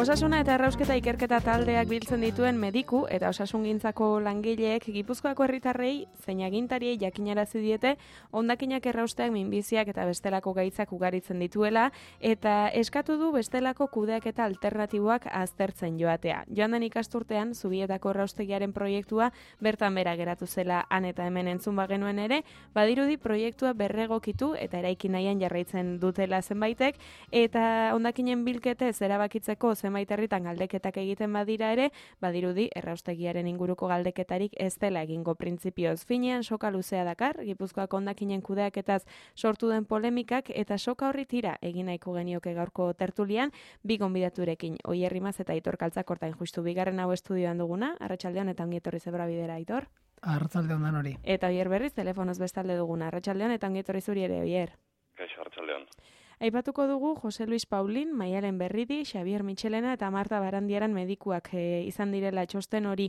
Osasuna eta errausketa ikerketa taldeak biltzen dituen mediku eta osasungintzako langileek Gipuzkoako herritarrei zein agintariei jakinarazi diete hondakinak errausteak minbiziak eta bestelako gaitzak ugaritzen dituela eta eskatu du bestelako kudeaketa alternatiboak aztertzen joatea. Joan den ikasturtean Zubietako erraustegiaren proiektua bertan bera geratu zela han eta hemen entzun bagenuen ere, badirudi proiektua berregokitu eta eraiki nahian jarraitzen dutela zenbaitek eta hondakinen bilketez erabakitzeko zenbait herritan galdeketak egiten badira ere, badirudi erraustegiaren inguruko galdeketarik ez dela egingo printzipioz. Finean soka luzea dakar, Gipuzkoako hondakinen kudeaketaz sortu den polemikak eta soka horri tira egin nahiko genioke gaurko tertulian, bi gonbidaturekin, Oier Rimaz eta Aitor Kaltzakortain justu bigarren hau estudioan duguna, arratsaldeon eta ongi etorri zebra bidera, Aitor. Arratsaldeon dan hori. Eta Oier berriz telefonoz bestalde duguna, arratsaldeon eta ongi etorri zuri ere, Oier. Kaixo, arratsaldeon. Aipatuko dugu Jose Luis Paulin, Maialen Berridi, Xabier Michelena eta Marta Barandiaran medikuak izan direla txosten hori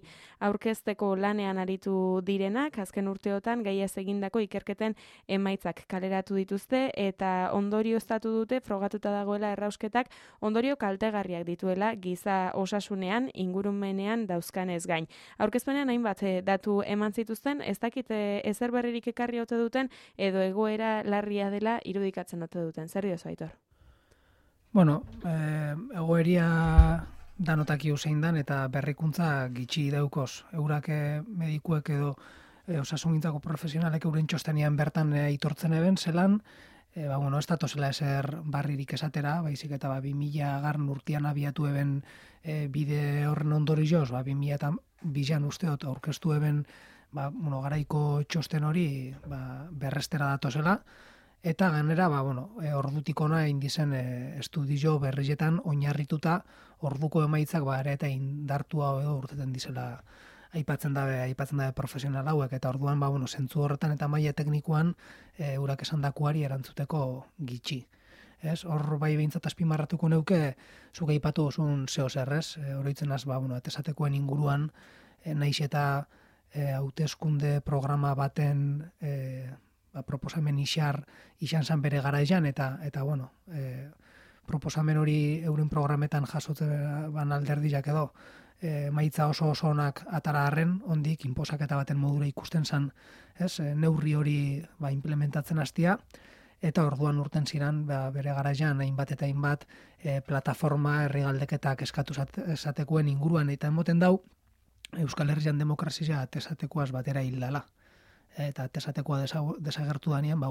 aurkezteko lanean aritu direnak, azken urteotan gaiaz egindako ikerketen emaitzak kaleratu dituzte eta ondorioztatu dute frogatuta dagoela errausketak ondorio kaltegarriak dituela giza osasunean, ingurumenean dauzkanez gain. Aurkezpenean hainbat datu eman zituzten, ez dakite ezer berririk ekarri ote duten edo egoera larria dela irudikatzen ote duten. Zer Aitor? Bueno, egoeria danotaki zein dan eta berrikuntza gitxi daukoz. Eurak medikuek edo osasungintzako profesionalek euren txostenian bertan aitortzen eben zelan, ez datozela ezer barririk esatera, baizik eta 2000 urtean abiatu eben bide horren ondorioz, 2002an usteot aurkeztu eben garaiko txosten hori berrestera datozela. Eta gainera, ordutik ona indizen estudio berrietan oinarrituta orduko emaitzak ere eta indartua edo urteten dizela aipatzen dabe profesional hauek eta orduan zentzu horretan eta maila teknikoan eurak esandakoari erantzuteko gitxi. Ez, hor bai behintzat azpimarratuko neuke zuk aipatu osun zeo zerrez, oroitzen az atesatekoen inguruan naiz eta hauteskunde programa baten proposamen izan zan bere garaian eta proposamen hori euren programetan jasotzen alderdiak edo maitza oso onak atara arren, ondik inposaketa baten modura ikusten zan, neurri hori implementatzen hastia eta orduan urten ziren bere garaian hainbat eta hainbat plataforma herri galdeketak eskatu esatekoen inguruan eta emoten dau Euskal Herrian demokrazia atesatekoaz batera hildala. Eta atesatekoa desagertu danean,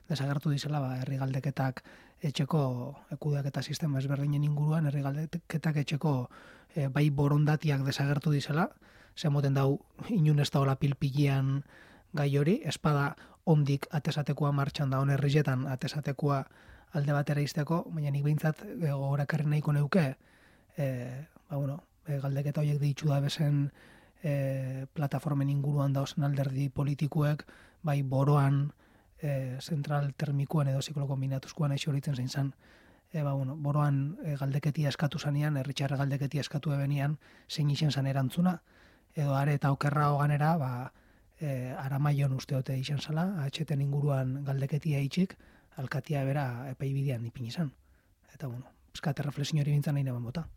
desagertu dizela herri galdeketak etxeko kudeaketa sistema ezberdinen inguruan, herri galdeketak etxeko bai borondatiak desagertu dizela, zemoten dau inun ez daola pilpilean gai hori, espada ondik atesatekoa martxan da herrietan atesatekoa alde batera izteko, baina nik behintzat gogorakarri nahiko neuke, galdeketa horiek ditzu da bezen plataformen inguruan dauzen alderdi politikuek, bai boroan, zentral termikoan edo ziklo kombinatuzkoan aixo horitzen zein zan, boroan galdeketia eskatu zanean, herritxarra galdeketia eskatu ebenian, zein izen zan erantzuna, edo are eta okerra hoganera, aramaion usteote izan zala, atxeten inguruan galdeketia itxik, alkatia bera epaibidean ipin izan. Eta, eskate reflexio hori bintzan nahi neban bota.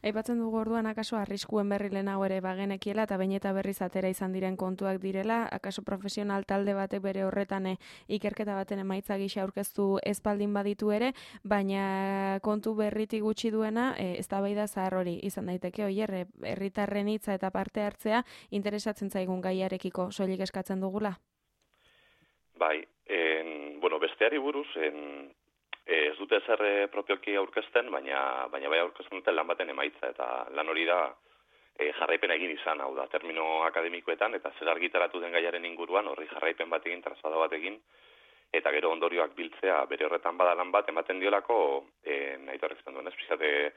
Aipatzen dugu orduan akaso arriskuen berri lehenago ere bagenekiela eta bain eta berriz atera izan diren kontuak direla, akaso profesional talde batek bere horretan ikerketa baten emaitza gisa aurkeztu espaldin baditu ere, baina kontu berritik gutxi duena eztabaida zahar hori izan daiteke, Oier, herritarren hitza eta parte hartzea interesatzen zaigun gaiarekiko soilik eskatzen dugula? Bai, besteari buruz, ez dute zer propioki aurkezten, baina bai aurkezten duten lan baten emaitza, eta lan hori da jarraipena egin izan, hau da, termino akademikoetan, eta zer argitaratu den gaiaren inguruan, horri jarraipen bat egin, trazada bat egin, eta gero ondorioak biltzea, bere horretan bada lan bat, ematen diolako, nahi torrezten duen, espizate,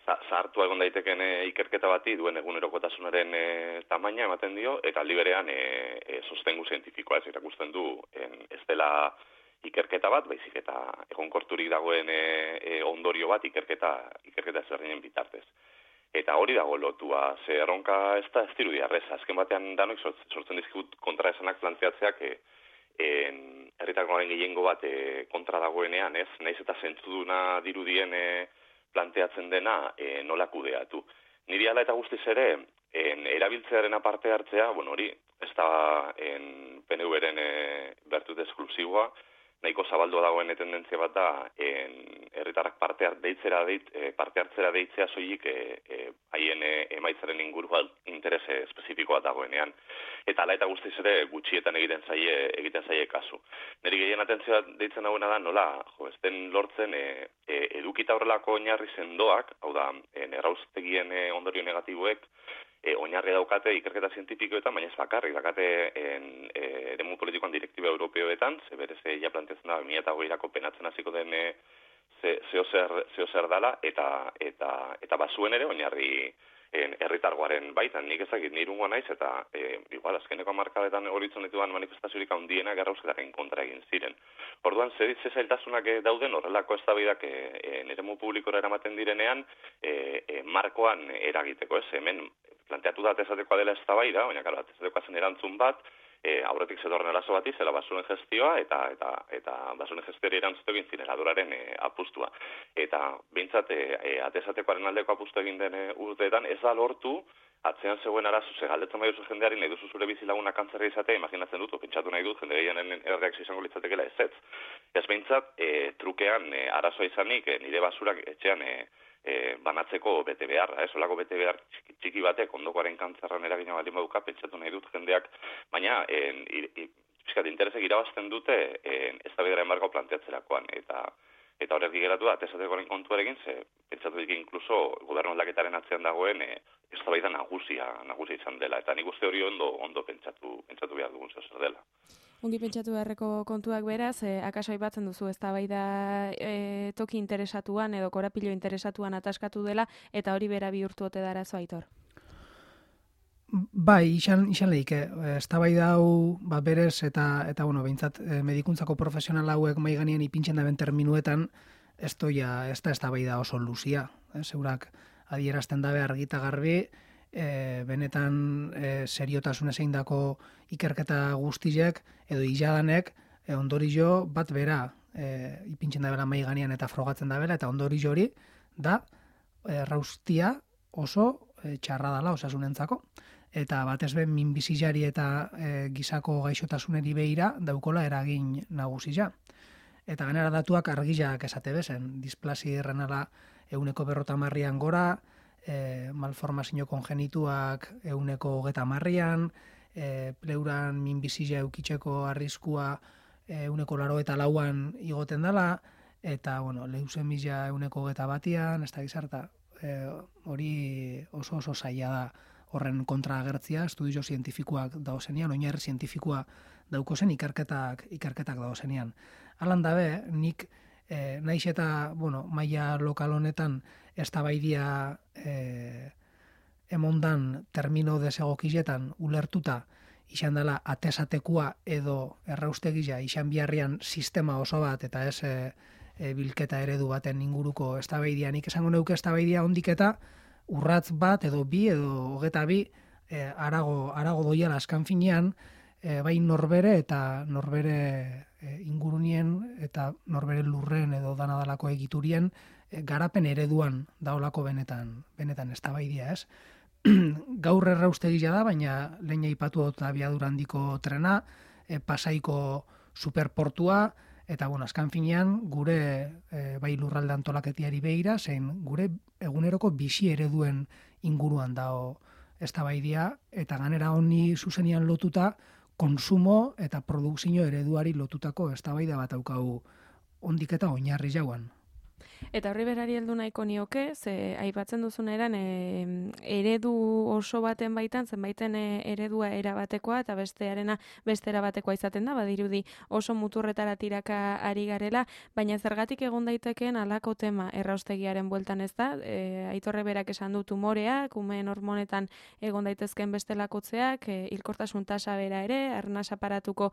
zahartu egon daiteken ikerketa bati, duen egunerokotasunaren tamaina ematen dio, eta aldi berean sostengu zientifikoa ez irakusten du, ez dela ikerketa bat, baizik eta egonkorturik dagoen ondorio bat ikerketa ezberdinen bitartez. Eta hori dago lotua, ze erronka ez da ez dirudi arreza. Azken batean danok sortzen dizkut kontraesanak plantzeatzeak herritarkoaren gehiengo bat kontra dagoenean, ez? Naiz eta zentzuduna dirudien planteatzen dena nola kudeatu. Niri ala eta guztiz ere, erabiltzearen aparte hartzea, hori, ez da PNV-ren bertut esklusiboa, nahiko zabaldua dagoen tendentzia bat da, herritarrak parte hartzera deitzea soilik haien emaitzaren inguruan interes espezifikoa dagoenean. Eta ala eta guztiz ere gutxietan egiten zaie kasu. Neri gehien atentzioa deitzen dagoena da nola, ez den lortzen edukita horrelako oinarri sendoak, hau da, erraustegien ondorio negatiboek, oinarri daukate ikerketa zientifikoetan, baina ez bakarrik, dakate eremu politikoan direktiba europeoetan, ze berez ja planteatzen da, 2008-ako penatzen hasiko den zeo zer dala, eta bazuen ere oinarri herritargoaren baitan, nik ezagit nirungoa naiz, eta igual, azkeneko hamarkadetan horitzen dituan manifestaziorik handienak errausketaren kontra egin ziren. Orduan, ze zailtasunak dauden horrelako eztabaidak eremu publikora eramaten direnean, markoan eragiteko, ez, hemen planteatu da atezatekoa dela eztabaida, baina karo, atezatekoa zen erantzun bat, aurretik zetorren arazo bati, zela basuren gestioa, eta basuren gestiori erantzute egin zineraduraren apustua. Eta bintzat, atezatekoaren aldeko apustu egin den urteetan, ez da lortu, atzean zegoen arazo, galdetzen bai duzu jendeari, nahi duzu zure bizilagunak kantzerra izatea, imaginatzen dut, pentsatu nahi dut, jende gehianen erreakzio izango litzatekela ez. Ez bintzat, trukean arazoa izanik, nire basurak etxean banatzeko bete beharra, olako bete behar txiki batek ondokoaren kantzerran eragina baldin baduka, pentsatu nahi dut jendeak, baina interesek irabazten dute eztabaidaren marko planteatzerakoan, eta horrek geratu da, atezatekoaren kontuarekin, ze pentsatu dik inkluso gobernu aldaketaren atzean dagoen eztabaida nagusia izan dela, eta nik uste hori ondo pentsatu behar dugun zer dela. Ongi pentsatu beharreko kontuak beraz, akaso aipatzen duzu eztabaida toki interesatuan edo korapilo interesatuan ataskatu dela, eta hori bera bihurtu ote da arazoa, Aitor? Bai, izan lehik, eztabaida hau berez eta behintzat medikuntzako profesional hauek mai ganean ipintzen daben terminuetan, ez da eztabaida oso luzia. Zeurak adierazten dabe argita garbi, benetan seriotasunez egindako ikerketa guztiek edo iladanek ondorio bat bera ipintzen dabela mai ganean eta frogatzen dabela, eta ondorio hori da erraustia oso txarra dela osasunentzako. Eta batez be minbizilari eta gizako gaixotasuneri behira daukola eragin nagusia. Eta gainera datuak argiak esate bezen, displasi renala 150 gora, malformazio kongenituak 130, pleuran minbizia eukitzeko arriskua 184an igoten dela, eta leusemia 121, ez da gizarta, hori oso zaila da horren kontra agertzia, estudio zientifikoak dagozenean, oinarri zientifikoa daukozen ikerketak dagozenean. Alan dabe, nik naiz eta maila lokal honetan eztabaidia emondan termino desegokizetan ulertuta izan dela atesatekua edo erraustegia izan biharrian sistema oso bat eta ez bilketa eredu baten inguruko eztabaidia. Nik esango neuke eztabaidia ondiketa urratz bat edo bi edo 22 arago doiala askan finean, bai norbere eta norbere ingurunien eta norbere lurren edo danadalako egiturien garapen ereduan daolako benetan eztabaidia, ez? Gaur erraustegia da, baina lehen aipatu dut abiadura handiko trena, Pasaiko superportua, eta azkan finean gure bai lurralde antolaketiari begira, zein gure eguneroko bizi ereduen inguruan dago eztabaidia, eta ganera honi zuzenian lotuta konsumo eta produkzio ereduari lotutako eztabaida bat daukagu ondik eta oinarri jauan. Eta horri berari heldu nahiko nioke, ze aipatzen duzun eran eredu oso baten baitan, zenbaiten eredua erabatekoa eta bestearena beste erabatekoa izaten da, badirudi oso muturretara tiraka ari garela, baina zergatik egon daitekeen halako tema erraustegiaren bueltan ez da, Aitorre berak esan du tumoreak, umeen hormonetan egon daitezken bestelakotzeak, hilkortasun tasa bera ere, arnas aparatuko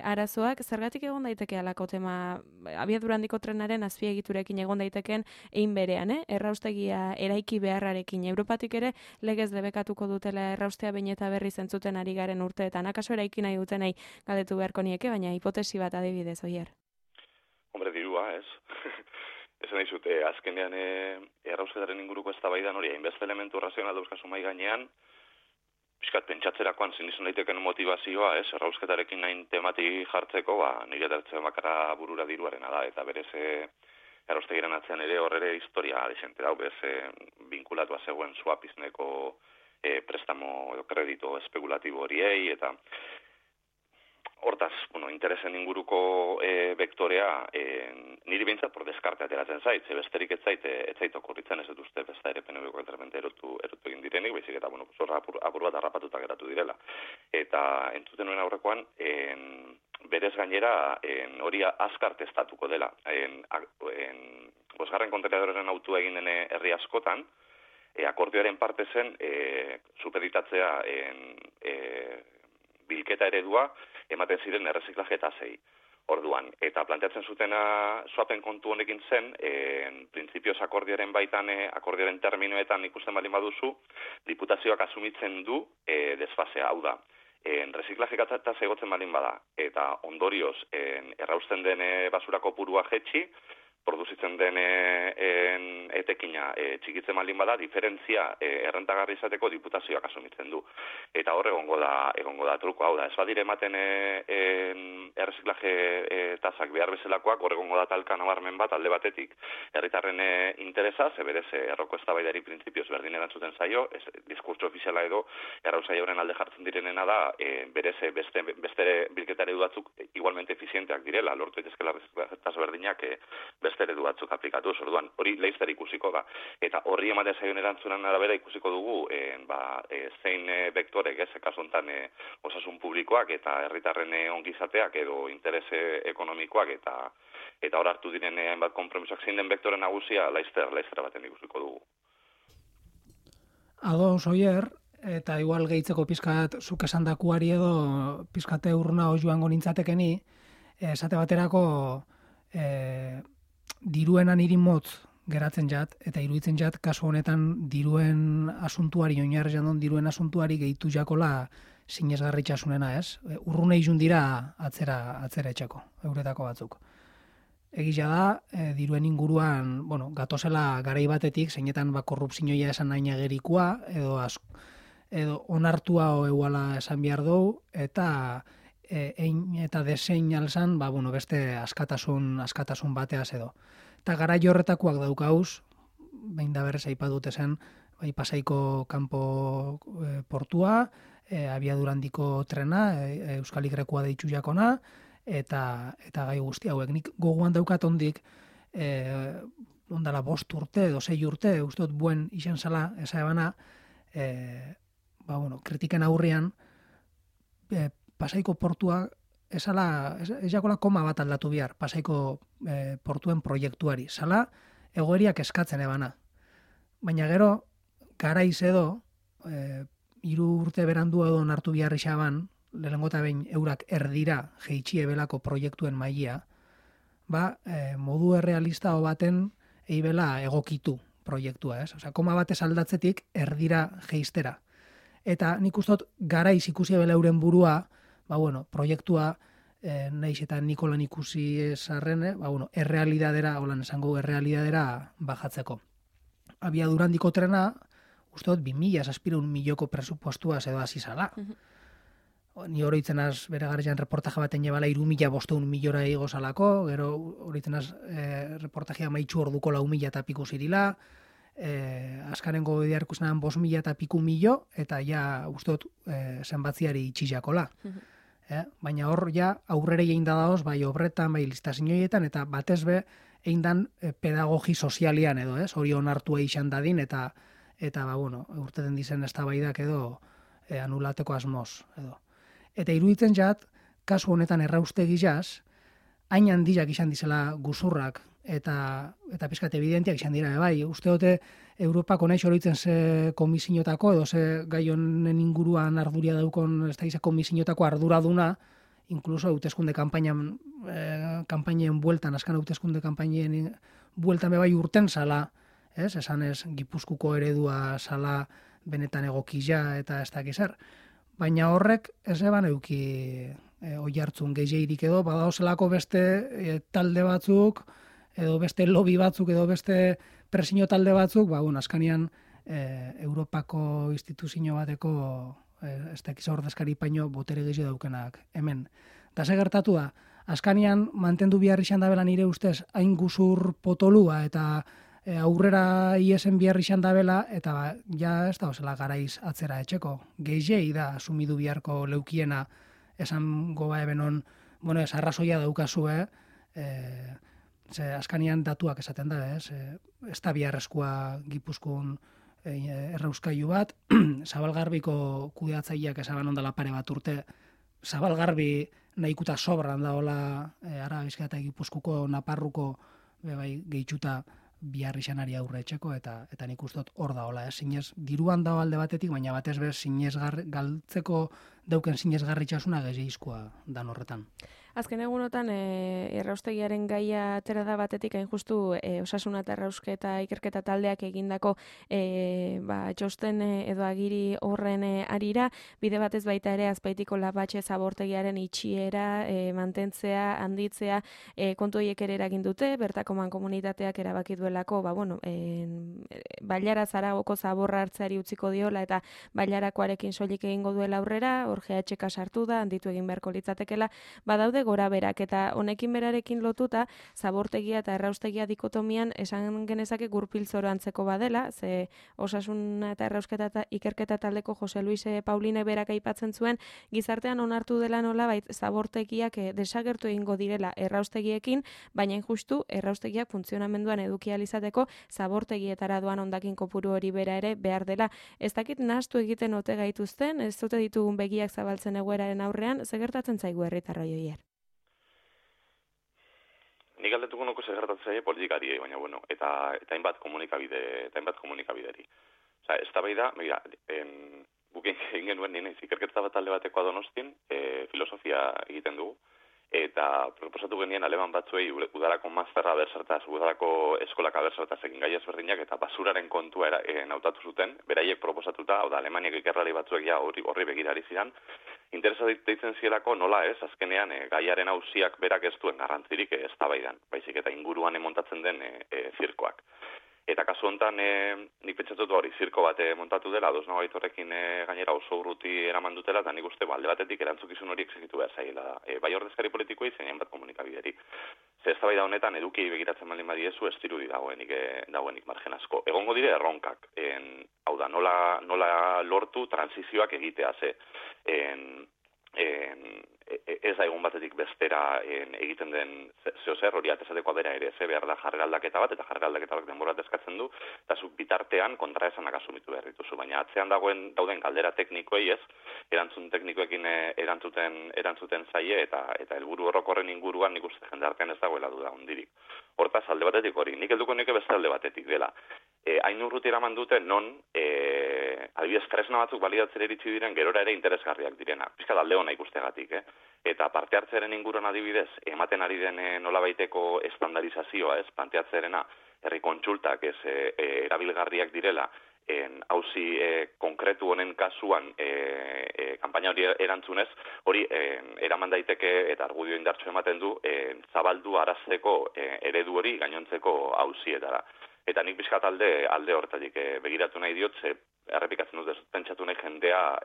arazoak, zergatik egon daiteke halako tema abiadura handiko trenaren azpiegiturekin egon daiteken egin berean, erraustegia eraiki beharrarekin. Europatik ere legez debekatuko dutela erraustea behin eta berri zentzuten ari garen urteetan. Akaso eraiki nahi dutenei galdetu beharko nieke, baina hipotesi bat adibidez, Oier. Hombre, dirua, ez? esan dizute, azkenean errausketaren inguruko eztabaidan hori, hainbeste elementu razional dauzkazu mai gainean, pixkat pentsatzerakoan zinizun daiteken motivazioa, errausketarekin nahin temati jartzeko, nire dertzen bakarra burura diruarena da, eta berez erraustegiren atzean ere horre historia desente dau, bez vinkulatua zegoen swapizneko prestamo edo kredito espekulatibo horiei, eta hortaz, interesen inguruko vektorea, niri behintzat por deskarte ateratzen zait, besterik ez zait okurritzen, ez dut uste besta ere PNV-ko entramente erotu egin direnik, baizik eta, zorra apur bat harrapatuta geratu direla. Eta entzuten nuen aurrekoan, berez gainera hori azkar testatuko dela. Bosgarren kontenedoraren autua egin den herri askotan, akordioaren parte zen supeditatzea bilketa eredua ematen ziren erreziklaje tasei. Orduan, eta planteatzen zutena swapen kontu honekin zen, printzipioz akordioaren baitan, akordioaren terminoetan ikusten baldin baduzu, diputazioak asumitzen du desfasea, hau da. Reziklaje tasa egotzen baldin bada, eta ondorioz errausten den basura kopurua jetxi, produzitzen den etekina txikitzen baldin bada, diferentzia errentagarri izateko diputazioak asumitzen du. Eta hor egongo da truko, hau da, ez badire ematen erreziklaje tasak behar bezalakoak, hor egongo da talka nabarmen bat alde batetik herritarren interesa, berez erroko eztabaidari printzipioz berdin erantzuten zaio, diskurtso ofiziala edo errausaioaren alde jartzen direnena da, berez beste bilketa eredu batzuk igualmente efizienteak direla, lortu daitezkela erreziklaje tasa berdinak beste eredu batzuk aplikatu, orduan hori leizter ikusiko da. Eta horri ematen zaion erantzunan arabera ikusiko dugu zein vektorek, kasu honetan osasun publikoak eta herritarren ongizateak edo interes ekonomikoak eta hor hartu diren hainbat konpromisoak zein den vektore nagusia leizter baten ikusiko dugu. Ados, Oier, eta igual gehitzeko pizkat zuk esandakuari edo pizkate urruna joango nintzatekeni, esate baterako diruenan niri motz geratzen jat, eta iruditzen jat, kasu honetan diruen asuntuari, oinarrian diruen asuntuari gehitu jakola sinesgarritxasunena, ez? Urrune izun dira atzera etxako, euretako batzuk. Egia da, diruen inguruan, gatozela garai batetik, zeinetan korrupzioia esan nahi agerikoa, edo onartua euala esan behar dugu, eta eta desein alzan, beste askatasun bateaz edo. Eta gara horretakoak daukauz, behin da berrez aipatute zen, Pasaiko kanpo portua, abiadurandiko trena, Euskal Igrekua deitzu jakona, eta gai guzti hauek. Nik gogoan daukat ondik, ondala 5 urte edo 6 urte, ustot buen izan zala, eza ebana, kritiken aurrian, Pasaiko portua ez jakola koma bat aldatu bihar Pasaiko portuen proiektuari. Zala egoeriak eskatzen ebana. Baina gero, garaiz edo, 3 urte berandu edo nartu bihar isaban, lehenengo eta behin eurak erdira jeitxie belako proiektuen maila, modu errealista baten eibela egokitu proiektua, ez? Osea, koma batez aldatzetik erdira jeistera. Eta nik ustot garaiz ikusi ebela euren burua, proiektua, nahiz eta Nikolan ikusi esarren, errealidadera, holan esango errealidadera bajatzeko. Abiadurandiko trena, usteot, 2000 milioko presupuestua edo azizala. Ni horitzen az, bere garrian reportaje baten jebala 3.500 miliora ego salako, gero horitzen az reportajea maitxu orduko 4.000 eta piku zirila, azkarengo idear ikusenan 5.000 eta piku milio, eta ja usteot zenbatziari itxizakola. Baina hor ja aurrere egin da daoz, bai obretan, bai listazioietan, eta batez be egin dan pedagogi sozialian edo, hori onartua izan dadin, eta urteten dizen eztabaidak edo anulateko asmoz edo. Eta iruditzen jat, kasu honetan erraustegi jaz, hain handiak izan dizela guzurrak, eta pizkat evidentiak izan dira, bai, usteote Europako nahi horitzen ze komisinotako, edo ze gai honen inguruan arduria daukon, ez da izan komisinotako arduraduna, inkluso hauteskunde kampainen bueltan, askan hauteskunde kampainen bueltan bebai urten zala, esan ez, Gipuzkuko eredua zala benetan egokila eta ez dakiz zer. Baina horrek ez eban euki oi hartzun gehiagirik edo, badaozelako beste talde batzuk, edo beste lobby batzuk, edo beste presio talde batzuk, askanian Europako instituzio bateko ez dakiz ordezkari paino botere gehiago daukenak hemen. Da ze gertatu da, askanian mantendu behar izan dabela nire ustez hain guzur potolua eta aurrera iesen behar izan dabela eta ja ez da osela garaiz atzera etxeko. Gehiei da asumidu beharko leukiena esan goba ebenon, ez arrazoia daukazue, ze askanian datuak esaten da, ez da biharrezkoa Gipuzkoan errauskailu bat, Zabalgarbiko kudeatzaileak esaban ondala pare bat urte, Zabalgarbi nahikuta sobran da hola Araba Bizkaia eta Gipuzkoako Naparruko gehituta bihar izanari aurre etxeko eta nik ustot hor da hola, zinez diruan da alde batetik, baina batez bez galtzeko dauken zinezgarritxasuna gehiizkoa dan horretan. Azken egunotan erraustegiaren gaia atera da batetik hain justu osasuna eta errausketa ikerketa taldeak egindako txosten edo agiri horren arira, bide batez baita ere Azpeitiko Lapatxe zabortegiaren itxiera, mantentzea, handitzea, kontu horiek ere eragin dute, bertako mankomunitateak erabaki duelako, Bailara Zaragoko zaborra hartzeari utziko diola eta Bailarakoarekin soilik egingo duela aurrera, hor GHK sartu da, handitu egin beharko litzatekela, badaude gora berak eta honekin berarekin lotuta zabortegia eta erraustegia dikotomian esan genezake gurpiltzoro antzeko badela, ze osasuna eta errausketa eta ikerketa taldeko Jose Luis Pauline berak aipatzen zuen, gizartean onartu dela nolabait zabortegiak desagertu egingo direla erraustegiekin, baina injustu erraustegiak funtzionamenduan eduki ahal izateko zabortegietara doan hondakin kopuru hori bera ere behar dela. Ez dakit nahastu egiten ote gaituzten, ez dute ditugun begiak zabaltzen egoeraren aurrean, ze gertatzen zaigu herritarroi hoier? Nik galdetuko nuko segertatzen zaie politikari, baina eta hainbat komunikabideri. Osea, eztabaida, begira, guk egin genuen nien ikerketa bat talde batekoa Donostian, filosofia egiten dugu, eta proposatu genien aleman batzuei udarako masterra bersertaz, udarako eskolak abersertaz egin gai ezberdinak, eta basuraren kontua nautatu zuten, beraiek proposatuta, hau da, Alemaniak ikerrari batzuek ja horri begirari zidan, interesa deitzen zielako nola ez, azkenean gaiaren auziak berak ez duen garrantzirik eztabaidan, baizik eta inguruan montatzen den zirkoak. Eta kasu honetan nik pentsatu hori zirko bat montatu dela, dosnago horrekin gainera oso urruti eraman dutela, eta nik uste alde batetik erantzukizun hori exigitu behar zaila. Bai ordezkari politikoei zein hainbat komunikabideri. Ze eztabaida honetan eduki begiratzen baldin badiezu ez dirudi dagoenik margen asko. Egongo dire erronkak. Hau da, nola lortu transizioak egitea ze. Ez da egun batetik bestera egiten den zehozer hori atezatekoa bera ere, behar da jarrera aldaketa bat, eta jarrera aldaketa bat denbora eskatzen du, eta zuk bitartean kontraesanak asumitu behar dituzu, baina atzean dauden galdera teknikoei ez, erantzun teknikoekin erantzuten zaie, eta helburu orokorren inguruan nik uste jendartean ez dagoela duda hondirik. Hortaz, alde batetik hori, nik helduko nike beste alde batetik dela. Hain urruti eraman dute non, adibidez, tresna batzuk balidatzen iritsi diren gerora ere interesgarriak direna. Pizkat alde hona ikustegatik, Eta parte hartzearen inguruan adibidez, ematen ari den nolabaiteko estandarizazioa, planteatzerena, herri kontsultak erabilgarriak direla, auzi konkretu honen kasuan kanpaina hori erantzunez, hori eraman daiteke eta argudio indartsu ematen du zabaldu arazteko eredu hori gainontzeko auzietara. Eta nik bizkat alde horretatik begiratu nahi diot, errepikatzen dut pentsatu nahi jendea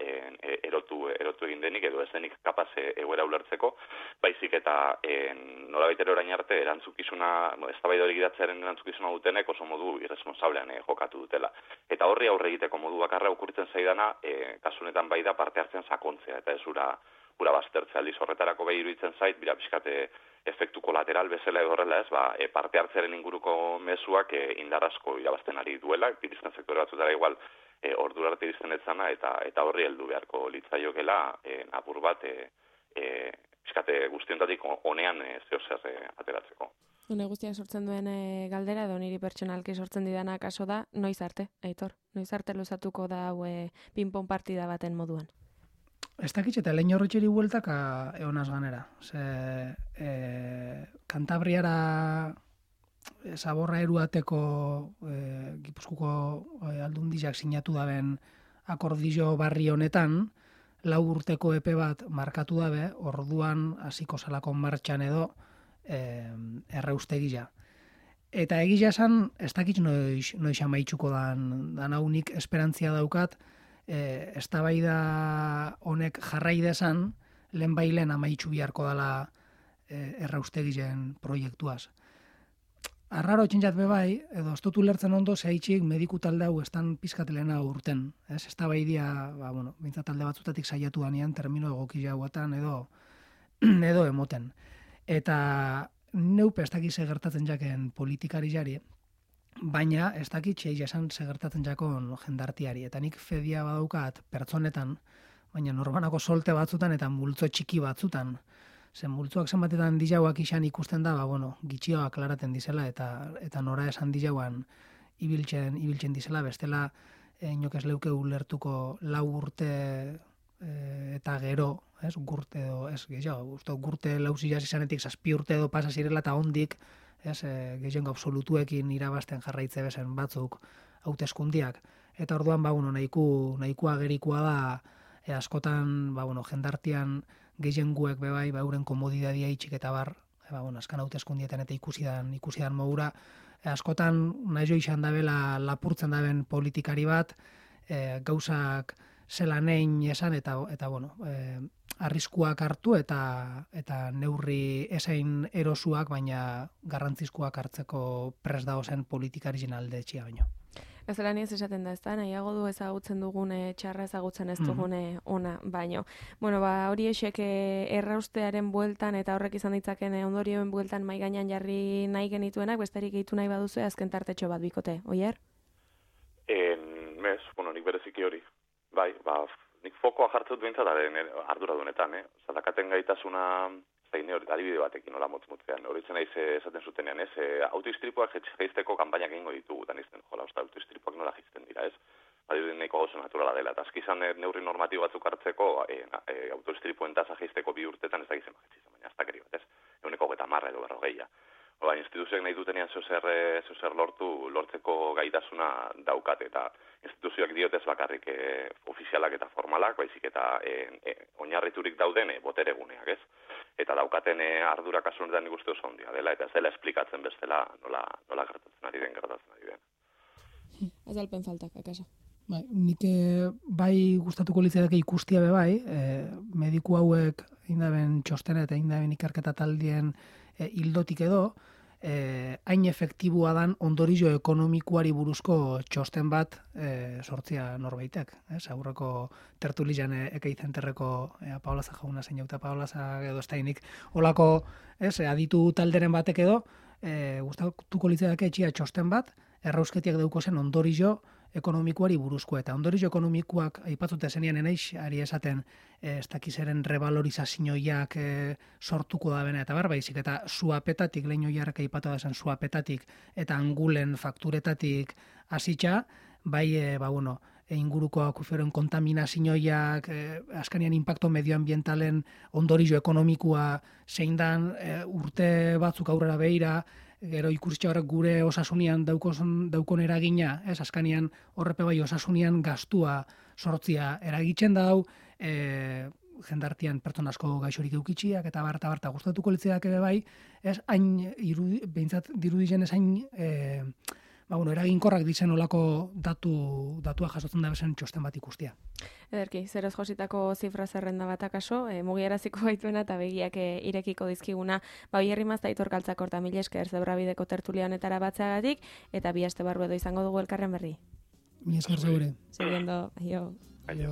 erotu egin denik, edo ez denik kapaz egoera ulertzeko, baizik eta nolabait ere orain arte erantzukizuna, eztabaida hori gidatzearen erantzukizuna dutenek oso modu irresponsablean jokatu dutela. Eta horri aurre egiteko modu bakarra okurritzen zaidana, kasunetan bai da parte hartzen sakontzea, eta ez ura baztertzea aldiz horretarako behi iruditzen zait, bira pixkate efektu kolateral bezala edo horrela ez, parte hartzearen inguruko mezuak indarrazko irabazten ari duela, irizten sektore batzutara igual ordura arte irizten etzana, eta horri heldu beharko litzaiokela apur bat pixkate guztiontatik honean zehozer ateratzeko. Hone guztiak sortzen duen galdera, edo niri pertsonalki sortzen didana kaso da, noiz arte, Aitor? Noiz arte luzatuko da hau ping-pong partida baten moduan? Ez dakitz eta lehin horretxeri bueltaka egonaz ganera. Kantabriara zaborra eruateko Gipuzkoako aldundiak sinatu daben akordizio barri honetan, 4 urteko epe bat markatu dabe, orduan hasiko salako martxan edo erraustegia. Eta egia esan, ez dakit noiz amaitzuko dan haunik esperantzia daukat, eztabaida honek jarrai desan, lehen amaitzu biharko dela erraustegiren proiektuaz. Arraro txintzat bebai, edo ez dut ulertzen ondo, zehaitxik mediku talde hau estan pizkatelena urten. Eztabaidia, bintzat talde batzutatik saiatu danean, termino egoki jauatan edo emoten. Eta neupe ez dakit gertatzen jaken politikari jari, baina ez dakit txeia esan gertatzen jakon jendartiari. Eta nik fedia badaukat pertsonetan, baina norbanako solte batzutan eta multzo txiki batzutan. Zen multzoak zenbatetan dijauak izan ikusten da, gitxioa aklaraten dizela eta nora esan dijauan ibiltzen dizela, bestela inok ez leuke ulertuko 4 urte eta gero, ez, gurte edo, ez, gehiago, gurte lauzilaz izanetik 7 urte edo pasa zirela eta hondik, ez, gehiago absolutuekin irabazten jarraitze bezen batzuk hauteskundiak. Eta orduan, nahikoa gerikoa da, askotan, jendartian gehienguek bebai, euren komodidadia itxik eta bar, askan hauteskundietan eta ikusidan mogura, askotan nahi izan dabela lapurtzen daben politikari bat, gauzak zelan egin esan eta arriskuak hartu eta neurri esain erosuak, baina garrantzizkoak hartzeko pres dago zen politikarien alde etxia baino. Ez zelan ez esaten da, ez da, nahiago du ezagutzen dugune txarra ezagutzen ez dugune ona, baino. Hori esek erraustearen bueltan eta horrek izan ditzaken ondorioen bueltan mai gainean jarri nahi genituenak, besterik gehitu nahi baduzu azken tartetxo bat bikote, oier? Nik bereziki hori. Bai, nik fokoa jartzen dut bintzataren arduradunetan, Zadakaten gaitasuna zein hori, adibide batekin nola motz-motzean. Horitzen naiz esaten zutenean, autoistripuak jaizteko kanpainak egingo ditugu, eta nizten, autoistripuak nola jaizten dira, ez? Adibide nahiko gauza naturala dela, eta azkizan neurri normatibo batzuk hartzeko, autoistripuen tasa jaizteko 2 urtetan ez da gizema jaizizan, baina aztakeri bat, ez? 110 edo 40. Instituzioek nahi dutenean zozer lortzeko gaitasuna daukat, eta instituzioak diotez bakarrik ofizialak eta formalak, baizik eta oinarriturik dauden botereguneak, ez? Eta daukaten ardura kasu honetan nik uste oso handia dela, eta ez dela esplikatzen bestela nola gertatzen ari den. Azalpen faltak, akasa. Nik bai gustatuko litzaidake ikustia bai, mediku hauek indaben txostena eta indaben ikerketa taldien hildotik edo, hain efektibua dan ondorio ekonomikoari buruzko txosten bat sortzia norbaitek. Aurreko tertulian ekeitzen terreko Paolaza jauna zein jauta Paolaza edo estainik olako aditu talderen batek edo, gustatuko litzaidake etxia txosten bat, errausketiak dauko zen ondorio ekonomikoari buruzko, eta ondorio ekonomikoak aipatzute zenean enaiz, ari esaten ez dakizeren revalorizazioiak sortuko da bena, eta baizik, eta suapetatik, lehen joiarrak aipatu da zen suapetatik, eta angulen fakturetatik hasitza, bai, inguruko akuferoen kontaminazioiak, askanian impacto medioambientalen ondorio ekonomikoa zein dan, urte batzuk aurrera behira, gero ikusitxe horrek gure osasunian daukon eragina, askanian horrepe bai osasunian gastua sortzia eragitzen dau, jendartian pertsona asko gaixorik eukitxiak, eta barta gustatuko litzeak ere bai, hain behintzat dirudizen ez hain eraginkorrak dizen olako datua jasotzen da bezen txosten bat ikustia. Ederki, zeroz jositako zifra zerrenda bat akaso, mugiaraziko gaituena eta begiak irekiko dizkiguna, Oierri Mazta Aitor Galtzakor eta mila esker Zebrabideko tertulia honetara batzeagatik, eta bi aste barru edo izango dugu elkarren berri. Mila esker zeure. Seguiendo, aio. Aio.